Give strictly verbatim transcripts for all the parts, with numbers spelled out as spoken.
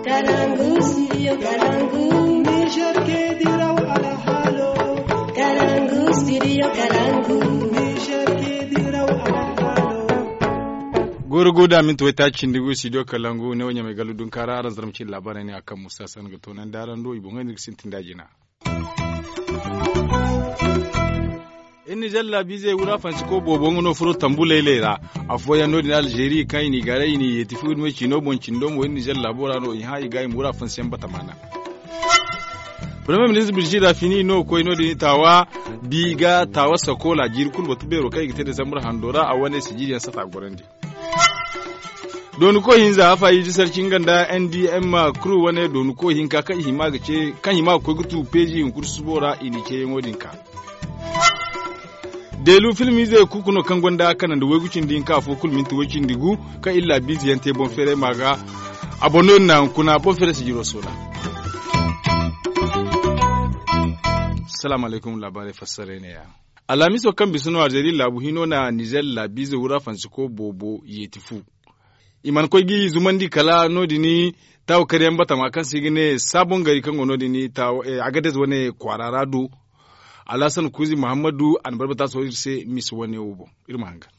Kalangu, studio Kalangu. Niger ke diraw alhalo. Kalangu, studio Kalangu. Niger ke diraw alhalo. Goro goda minti waytaaci cindi gu studio Kalangu ne wo ɲamay gallu dunkaara araŋ zarma cindi laabaarey ne a kaŋ musa san ga toonandi araŋ do i boŋey no iri ga sintin da jina. Iri nizer laabiizey wura fansiko boobo nga no furo tambu laylay ra. Afooyaŋ no- din alzeeri kaŋ i n'i gaaray i n'i yeeti fu iri me ciino boŋ cindo mo iri nizer laabo ra no i hã i ga i ma wura fansiyaŋ batama naŋ. Premier ministre birjira fini no koy no- din taawa bi ga taawa sakola jiiri kulu batu beero kaŋ i ga te desambur hando ra a wane sijiriyaŋ sata gorandi. Dooni koy hinza afa i ji sarci nga nda n d m crew wane dooni koy hinka kaŋ i hima ga ce kaŋ hima ga koy ga tu peeji hunkuna susubo ra i n'i ceeyaŋo din ka. Deelu filmiize kuuku no kaŋ gonda kanandi waygu cindi hinka afo kulu minti way cindi gu kaŋ iri laabiize yaŋ te boŋ feeray ma ga. A boŋ no iri na hunkuna boŋ feeray sijiro soola. Salaamu alaykum laabaarey fassaray ne- ya. Alhamiso kaŋ bisa no alzeeri laabu hino na nizer laabiize wura fansiko boobo yeeti fu. I mana koy g'i zumandi kala no- din taawa karyaŋ batama kaŋ se i ga ne saabon gari kaŋ go no- din. Agades wane kwaara ra do. Alhasan kuuzi muhammadu a na barbata sohõ iri se misa wane wo boŋ. Iri ma hangan.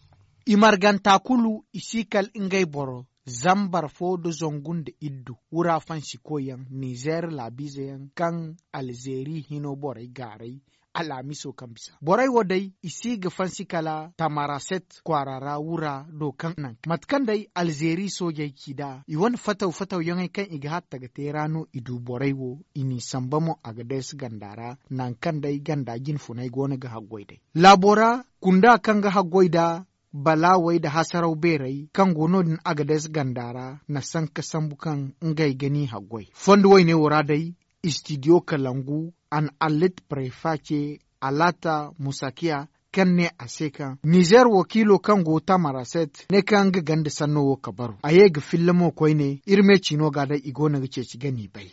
I marganta kulu i si kala ngey boro zambar fo nda zangu nda iddu wura fansikoyaŋ nizer laabiizeyaŋ kaŋ alzeeri hino borey gaaray. Alhamiso kaŋ bisa borey wo day i si ga fansi kala tamaraset kwaara ra wura do kaŋ naŋ mate kaŋ day alzeeri soojey ci nd'a i wane fataw fatawyaŋey kaŋ i ga hatta ga te ra no i du borey wo. I n'i samba mo a ga deesi ganda ra naŋ kaŋ day ganda jinfunay go no ga haggoy day laabo ra kunda kaŋ ga haggoy nd'a balaawey nda hasaraw beerey kaŋ go no- din a ga deesi ganda ra na sanka sambu kaŋ ngey ga n'i haggoy fondo wayne wo ra day. Istidiyo kalangu a na allit prefa ce alaata musakiya kaŋ ne a se kaŋ nizer wakiilo kaŋ go tamaraset ne kaŋ nga ganda sanno wo kabaru a ye ga filla mo koyne iri me ciino ga day i go no ga ceeci ga n'i bay.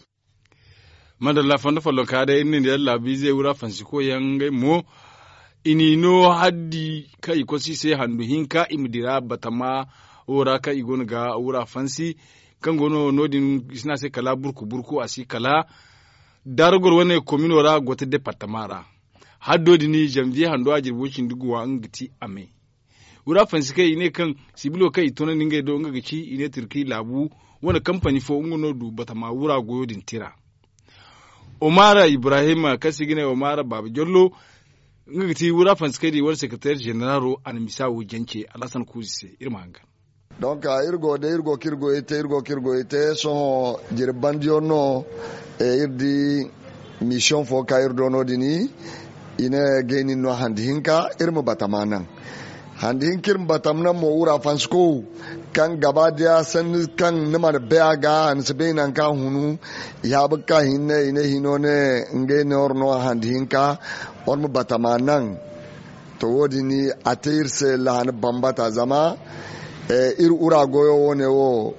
Madalla fondo follonka day iri na ni daŋ laabiize wura fansikoyaŋ ngey mo. I n'i no haddi kaŋ i kosi i se handu hinka i ma dira batama wo ra kaŋ i go no ga wura fansi kaŋ go no no- din i si ne a se kala burku burku a si kala daragor wane komino ra gote departama ra. Haddo din janviye hando a jirbi way cindi guwa nga ga ti a me. Wura fansi kaŋ i ne kaŋ sibilo kaŋ i toonandi ngey do nga ga ci i ne turki laabu wane kampani fo nga no du batama wura goyo din tira. Omara ibrahim kaŋ se i ga ne omara baaba jollo nga ga ti wura fansi kaŋ i di wane sekreter generalo a na misa wo jance alhasan kuuzi se iri ma hangan. Donc iri go day iri go kaŋ iri goyey te iri go kaŋ iri goyey te sohõ jirbi bandiyaŋ no. Iri di misiyoŋ fo kaŋ iri do no- din i ne gayni no handi hinka iri ma batama naŋ. Handi hinka iri ma batama naŋ mo wura fansiko kaŋ gaba diya sanni kaŋ ni mana bay a ga ni si bay nangu kaŋ a hunu. I haabu ga ka hinne i ne hino ne ngey ne wara no handi hinka wara ma batama naŋ. To wo- din a te iri se lahani bambata zama iri wura goyo wo- ne wo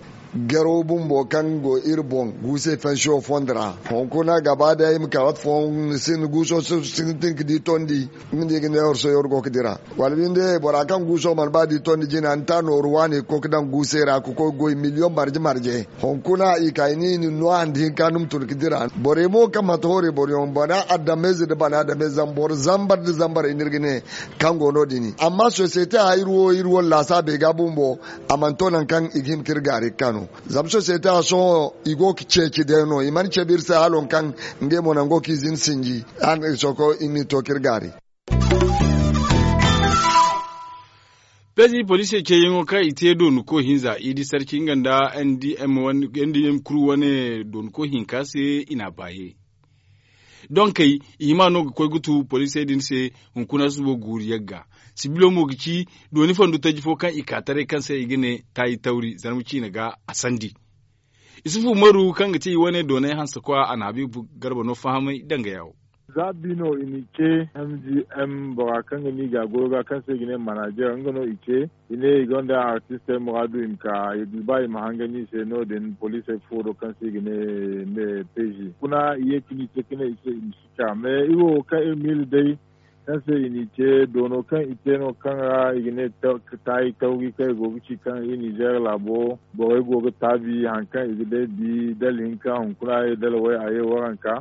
gero bumbo kaŋ go iri boŋ guusey fansiyo fondo ra hunkuna gaba day i ma ka waati fooyaŋ ni sinda guuso sintin ga di tondi. Nga no i ga ne horsoyo iri go ga dira wala binde bora kaŋ guuso mana ba di tondi jina ni ta nooru waani ga koy ga daŋ guusey ra ga koy ga goy miliyoŋ marje marje hunkuna i ka i ne i na ni no handi hinka ni ma tun ga dira borey mo kaŋ manti horey boroyaŋ bana adameyze nda bana adameyze zama boro zambar nda zambarey no iri ga ne kaŋ go no- din amma sosiyete a iri wo iri wane laasaabey ga bumbo a mana to nangu kaŋ i ga hin ga iri gaari ga ka no. Zama sosiyete a sohõ i go ga ceeci day no i mana cabe iri se hala waŋ kaŋ ngey mo nango kaŋ i zina sinji. Sohõ i n'i to ga iri gaari. Pezi poliisey ceeyaŋo kaŋ i te doonako hinza i di sarci nga nda n d m kuru wane doonako hinka se i n'a baaye. Donkey i hima no ga koy ga tu poliisey din se hunkuna subo guuru yagga. Sibilo mo ga ci dooni fondo taji fo kaŋ i ka taray kaŋ se i ga ne taayi tawri zarma ciine ga a sandi. Isufu umaru kaŋ ga ti i wane doonay hanse kwa a na habiibu garba no fahamay danga yaawo. Za bi no i n'i ce m g m bora kaŋ ga no i ga a goyo ga kaŋ se i ga ne manajer nga no i ce. I ne i gonda artistey muraadu i ma ka i ga ba i ma hangan i se no- din poliisey furo do kaŋ se i ga ne pezi kuna i ye ka ni ce ka ne i se i ma si ka mais iri wo kaŋ iri miila day. Kaŋ se i n'i te doono kaŋ i te no kaŋ ra i ga ne taayi tawri kaŋ i go ga ci kaŋ i nizeer laabo borey go ga taabi hari kaŋ i ga day bi dala hinka hunkuna ye dala way a ye waranka.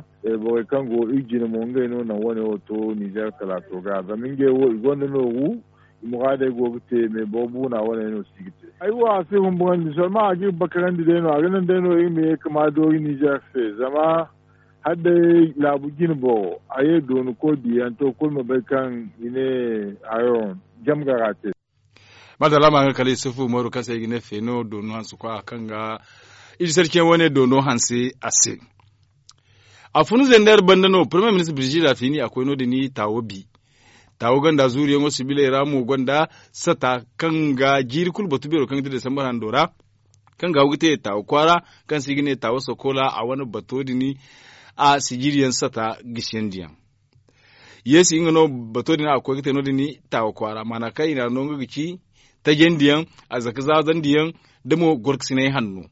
Borey kaŋ go iri jine mo ngey no naŋ wane wo to nizeer talaato ga zama ngey wo i gonda nooru. I muraadey go ga te me boro buuna wane no si ga te. Ay wo a si humburandi solma a ga iri bakarandi day no a ga naŋ day no iri ma ye ga ma doori nizeer se zama hala day laabu jine boro a ye dooni koy diyaŋ to kulu ma bay kaŋ i ne hayo jam gara te. Maadalla ma nga kala isufu umaru kaŋ se i ga ne feeno doonu hanse kwa kaŋ ga iri sarciyaŋ wane doonu hanse a se. A fun zender banda no premier ministre birjida fini a koy no- din taawo bi taawo gonda zuuriyaŋo sibiley ra mo gonda sata kaŋ ga jiiri kulu batu beero kaŋ ga ti desambar hando ra kaŋ ga haw ga te taawo kwaara kaŋ se i ga ne taawo sakola a wane bato din a sijiriyaŋ sata gisiyandiyaŋ. Yeesi nga no bato din a ga koy ga te no- din taawo kwaara maana kaŋ i n'a no nga ga ci tajandiyaŋ a zaka zaazandiyaŋ da mo gorkasinay hanno.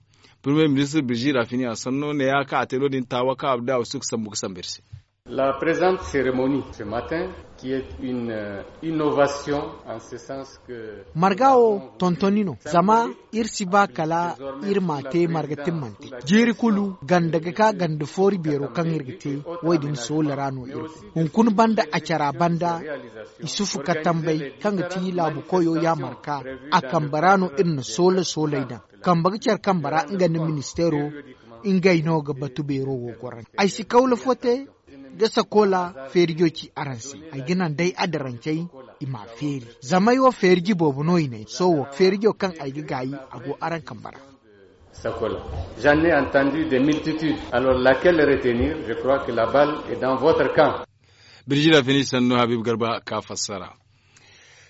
Premier ministre birjida fini a sanno ne ya kaŋ a te no- din taawo kaŋ a da a wasu ga sambu ga sambu iri se. La présente cérémonie ce matin qui est une innovation en ce sens que marga wo tontoni no zama iri si ba kala iri ma te marga timmante. Jiiri kulu ganda ga ka ganda foori beero kaŋ iri ga te wo- din soola ra no iri go hunkuna banda a cara banda. Isufu katambey kaŋ ga ti laabu koyo ya marka a kambe ra no iri na soola sooley daŋ. Kambe ga care kambe ra nga nda ministeero ngey no ga batu beero wo gorandi ay si kawla fo te. Ga sakola feerijo ci araŋ se ay ga naŋ day adarancey i m'a feeri. Zama ay wo feeriji boobo no i ne sohõ feerijo kaŋ ay ga gaayi a go araŋ kambe ra. Sakola j'en ai entendu de multitude alors laquelle retenir je crois que la balle est dans votre camp. Birjida fini sannu habib garba ka fassara.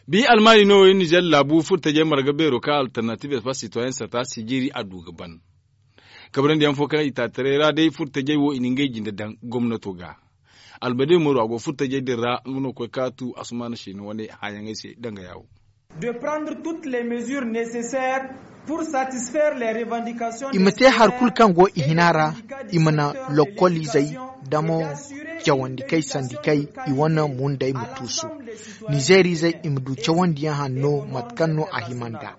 Bi almaani no iri nizer laabu furtajey marga beero ka alternative espace citoyen sata sijiri a du ga ban. Kabrandi yaŋ fo kaŋ i taataray ra day furtajey wo i na ngey jinde daŋ gomnato ga. Albade moro a go furtajey din ra nga no koy ka tu asumaana siina wane hããyaŋey se danga yaawo. De prendre toutes les mesures nécessaires pour satisfaire les revendications i ma te hari kulu kaŋ go i hina ra. I ma na lokkoliizey damo cawandi kay sandi kay i wane mundey ma tuusu. Nizeeriizey i ma du cawandiyaŋ hanno mate kaŋ no a hima nd'a.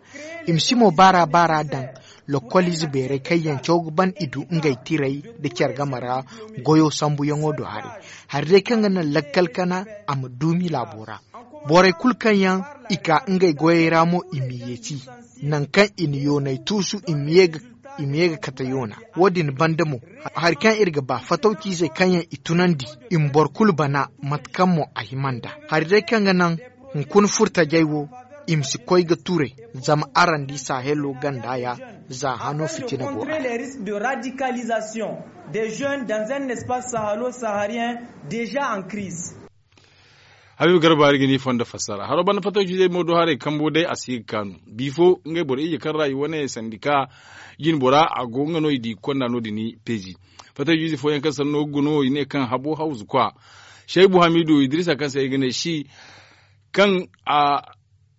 I ma si mo baara baara daŋ lokkoliize beerey kaŋ yaŋ caw ga ban i du ngey tirey nda care game ra goyo sambuyaŋo do haray. Hari day kaŋ ga naŋ lakkal kana a ma duumi laabo ra. Borey kulu kaŋ yaŋ i ka ngey goyey ra mo i ma yeeti nangu kaŋ i na yoonay tuusu i ma ye ga kate yoona. Wo- din banda mo hari kaŋ iri ga ba fatawciizey kaŋ yaŋ i tunandi i ma boro kulu bana mate kaŋ mo a hima nd'a. Hari day kaŋ ga naŋ hunkuna furtajey wo i ma si koy ga turay. Zama araŋ di sahelo ganda ya za hano fitina go a ra. Des jeunes dans un espace sahalo saharien déjà en crise. Habiibu garba iri ga ni fondo fassara haro banda fattaw ciizey mo do haray kambo day a si ga kaanu bifo ngey boro ije kaŋ ra i wane sandika jine bora a go nga no i di ga konda no- din peezi. Fattaw ciize fooyaŋ kaŋ sanno ga no i ne kaŋ habo hawzu kwa shaybu hamiidu idrisa kaŋ se ay ga ne si kaŋ a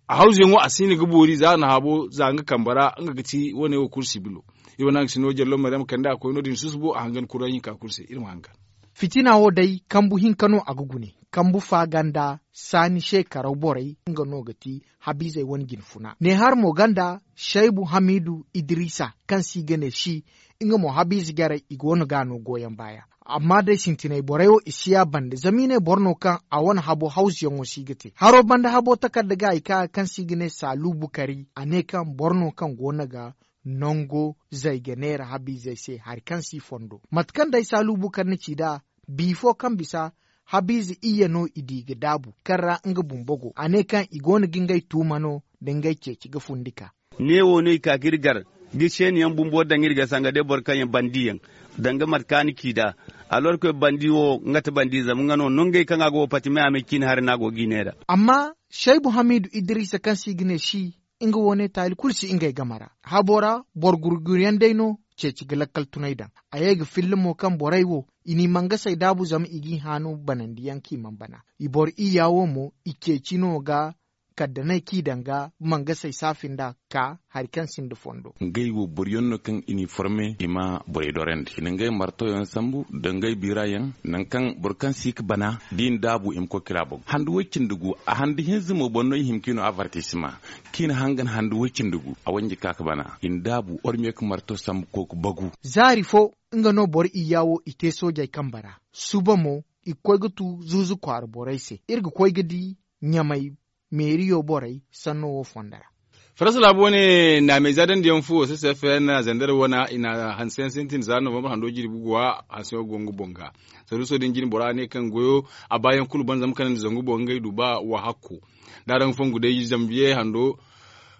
hawzuyaŋo a si no ga boori za a na habo za nga kambe ra nga ga ti wane wo kulu sibilo. Iri wane haŋ ga si no jallo maryam kande a koy no- din susubo a hangan kuraŋ hinka kulu se iri ma hangan. Fitina wo day kambu hinka no a ga gune kambu fa ganda saani se karaw borey nga no ga ti habiizey wane jine funa ne har mo ganda shaybu hamiidu idrisa kaŋ se i ga ne si nga mo habiize jarey i go no ga no goyaŋ baaya. Amma day sintinay borey wo i si ya bande zama i ne boro no kaŋ a wane habo hawzuyaŋo si ga te haro banda habo takarda ga i ka kaŋ se i ga ne saalu bukari a ne kaŋ boro no kaŋ go no ga nango zayga neera habiizey se hari kaŋ si fondo mate kaŋ day saalu bukari na ci nd'a. Bifo kaŋ bisa habiize iyye no i di ga daabu kaŋ ra nga bumbo go a ne kaŋ i go no ga ngey tuuma no nda ngey ceeci ga fundi ka. Neewo no i ka ga iri gar ga seeni yaŋ bumbo daŋ iri ga sanga day boro kaŋ yaŋ bandi yaŋ danga mate kaŋ a na ci nd'a. Alorkoy bandi wo nga ti bandi zama nga no nongey kaŋ a go wo pati me a me ciine hari no a go ga i neera. Amma shaybu hamiidu idrisa kaŋ se i ga ne si nga wo ne taali kulu si ngey game ra habo ra boro gurguryaŋ day no ceeci ga lakkal tunay daŋ. A ye ga filla mo kaŋ borey wo i n'i mangasey daabu zama i g'i haanu banandiyaŋ kaŋ i mana bana. I boro iyya wo mo i ceeci no ga kala da no ay k'i daŋ ga mangasey saafi nd'a ka hari kaŋ sinda fondo. Ngey wo boro yaŋ no kaŋ i n'i forme i ma borey dorandi i na ngey marto yaŋ sambu nda ngey biira yaŋ. Nangu kaŋ boro kaŋ si ga bana da i na daabu i ma koy kira boŋ handi way-cindi gu a handi hinza mo boŋ no i hima k'i no avartisima. Kaŋ i na hangan handi way-cindi gu a wanji ka ga bana i na daabu ormiye ga marto sambu koy ga bagu. Zaari fo nga no boro iyya wo i te soojey kambe ra. Suba mo i ga koy ga tu zuuzu kwaara borey se iri ga koy ga di ɲamay meeriyo borey sanno wo fondo ra. Faransa laabu wane naamey za dandiyaŋ fu o se se fn zandar wane i na hanse yaŋ sintin za novambar hando jirbi guwa hanse wo go nga boŋ ga. Saruuso din jine bora ne kaŋ goyo a baayaŋ kulu ban zama kanandi zangu boŋ ngey du ba wa hakku. Da araŋ fongu day zambiye hando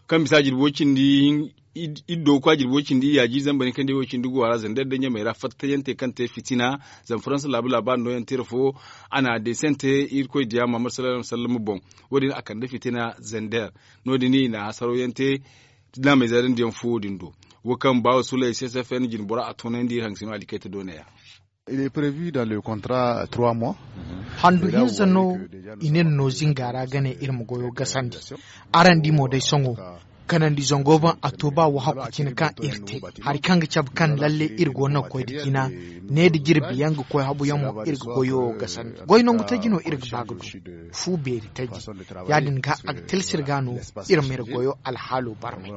kaŋ bisa jirbi wo cindi iddo ga kwa jirbi wo cindi iyaaji zamba ni kaŋ day wo cindi guwa ra zandar da ɲamey ra fattayante kaŋ te fitina. Zama faransa laabu laabaari nooyaŋ tira fo a na deesante irkoy diya mahammad sallallahu alaihi wasallam boŋ. Wo- din a kande fitina zander. No- din i na hasaraw yaŋ te naamey zaadandi yaŋ fo wo- din do. Wo kaŋ baawo sulay c s f n jine bora a toonandi iri haŋ ga si no alikayta doona ya. Il est prévu dans le contrat trois mois. Handu hinza no i ne no zinga ra ga ne iri ma goyo gasandi. Araŋ di mo day sohõ kanandi zango boŋ a to ba wo hakku cine kaŋ iri te hari kaŋ ga cabe kaŋ lalle iri go no ga koy nda jina. Ne nda jirbi yaŋ ga koy habu yaŋ mo iri ga goyo gasandi goy nangu taji no iri ga ba ga du. Fu beeri taji ya- din ga a ga tilasir ga no iri ma iri goyo alhaalo barmay.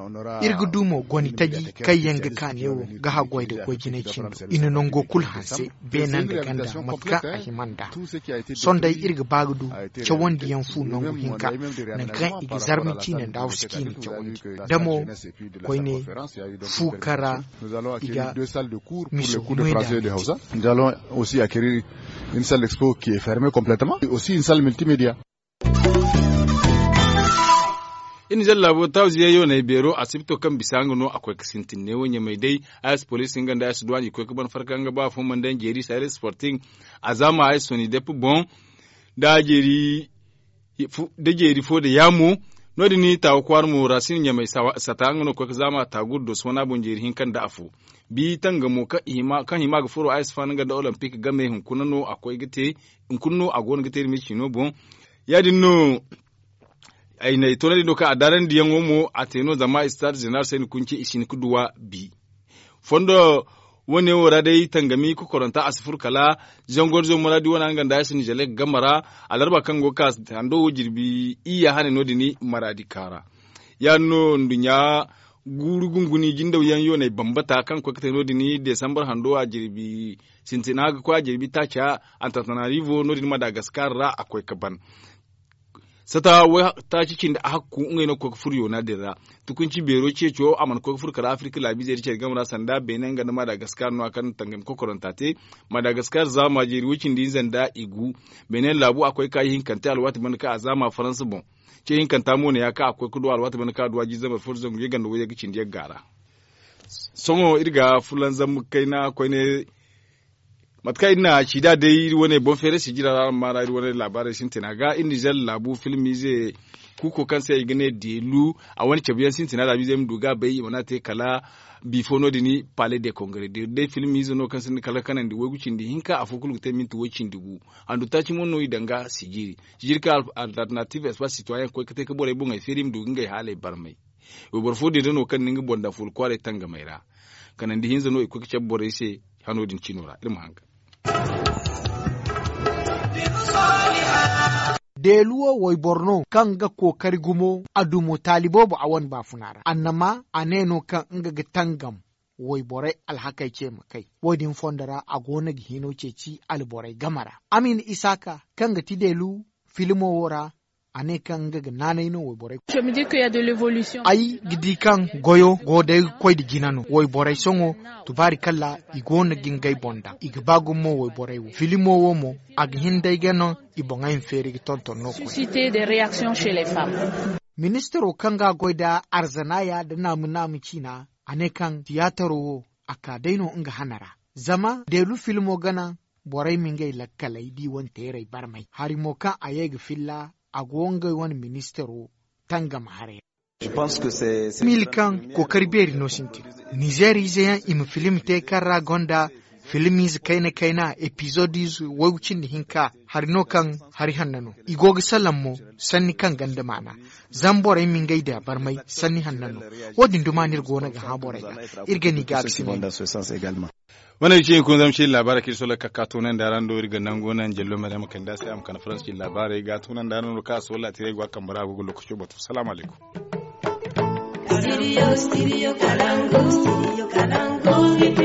Iri ga du mo goni taji kaŋ yaŋ ga ka neewo ga haggoy nda goy jinay cindo i na nango kulu hanse beene nda ganda mate kaŋ a hima nd'a. Sohõ day iri ga ba ga du cawandiyaŋ fu nangu hinka nangu kaŋ i ga zarma ciine nda hawsu ciine cawandi. Da mo koyne fu kaŋ ra i ga miso moy nda. Nous allons aussi acquérir une salle d'expo qui est fermée complètement et aussi une salle multimédia. Iri na zalla laabo tawziya yoonay beero asibto kaŋ bisa nga no a koy ga sintin neewo ɲamey day. Ayas poliisi nga nda ayas duwaaɲi koy ga ban farka nga ba fo mana daŋ jeeri sayre sporting. A zaama ayas soni depp boŋ da jeeri fo da yaamo. No- din taawa kwaara mo ra si na ɲamey sata nga no ga koy ga zaama taagu da doso wana boŋ jeeri hinka nda afo. Bi tangamo kaŋ hima ga furo ayas faana nga nda olympic game hunkuna no a koy ga te. Hunkuna no a go no ga te iri ma iri ciino boŋ. Ya- din no ay na ay toonandi no kaŋ a daarandiyaŋo mo a te no zama stade zeneral se ni kunce i si hin ga duwa bi. Fondo wane wo ra day tangami kokoranta a si furo kala zangor zo maraadi wane nga nda ya si nizelek game ra. Alarba kaŋ go ga ka hando wo jirbi iyya hane no- din maraadi kaara. Ya- din no nduɲɲa guuru gunguni jindaw yaŋ yoonay bambata kaŋ ga koy ga te no- din desambar hando a jirbi sintina ga koy a jirbi taaca. Antantanarivo no- din madagaskar ra a koy ga ban sata waytaaci cindi a hakku ngey no ga koy ga furo yoona din ra. Tukunci beero ceeco a mana koy ga furo kala afirka laabiizey da care game ra sanda beene nga nda madagaskar no- ya kaŋ na tangami kokoranta te. Madagaskar zaama jeeri woy cindi hinza nda i gu. Beene laabu a koy ga ka ihinkante alwaati banda kaŋ a zaama faransa boŋ. Ce hinkanta mo ne- ya kaŋ a koy ga du alwaati banda kaŋ a du a jiize zambar fo da zangu yagga nda wayyaŋ ga cindi yagga ra. Sohõ iri ga fulanzam kayna koyne mate kaŋ iri na ci nd'a day iri wane boŋ feeray sijira ra araŋ ma ra iri wane laabaarey sintina ga iri nizer laabu filmiize. Kuuko kaŋ se i ga ne deelu a wane cabuyaŋ sintina laabiizey ma du ga a bay i mana te kala bifo no- din pale de kongare deelu day filmiize no kaŋ sinda kala kanandi waygu cindi hinka afo kulu ga te minti way cindi gu. Handu taaci mo no i daŋ ga sijiri sijiri kaŋ alternative espace citoyen koy ga te ga borey boŋey feeri i ma du ga ngey haaley barmay. Wayboro fo din da no kaŋ na nga boŋ daŋ fuula kwaaray tangamey ra. Kanandi hinza no i koy ga cabe borey se hano din cino ra iri ma hangan. Deelu wo wayboro no kaŋ ga kookari gumo a du mo taali boobo a wane baafuna ra annama a ne no kaŋ nga ga tangam wayborey alhakey ce ma kay. Wo- din fondo ra a go no ga hino ceeci alborey game ra. Amin isaaka kaŋ ga ti deelu filmo wo ra a ne kaŋ nga ga naanay no wayborey. Ay ga di kaŋ goyo go day ga koy nda jina no wayborey sohõ tubaari kalla i go no ga ngey boŋ daŋ i ga ba gumo wayborey wo filimo wo mo a ga hin day ga no i boŋey ma feeri ga tonton no koy. Ministiro kaŋ ga a goy nda arzanaya nda naamu naamu ciina a ne kaŋ tiyaataro wo a ka day no nga hana ra. Zama deelu filmo gana borey ma ngey lakkaley da i wane teerey barmay hari mo kaŋ a ye ga filla a go ngey wane ministiro tangam haray ra. Mil kaŋ kookari beeri no sintin nizeer ize yaŋ i ma filim te kaŋ ra gonda filim ize kayna kayna epizod ize waygu cindi hinka. hari no kaŋ hari hanno no. I go ga salaŋ mo sanni kaŋ gonda maana. Zama borey ma ngey da barmay sanni hanno no. Wo- din duma no iri go no ga hã borey ga. Iri ga ni ga a ga si ne. Wane ga ci hunkuna zama ci iri laabaarey kaŋ iri sola ga ka ka toonandi araŋ do iri ga nangu naŋ jallo maryama kande a se a ma kande faransi ci iri laabaarey ga toonandi araŋ do kaŋ a sola tira ay go a kambe ra a go ga lookaco batu salaamu alaykum. Studio, studio Kalangu, studio Kalangu.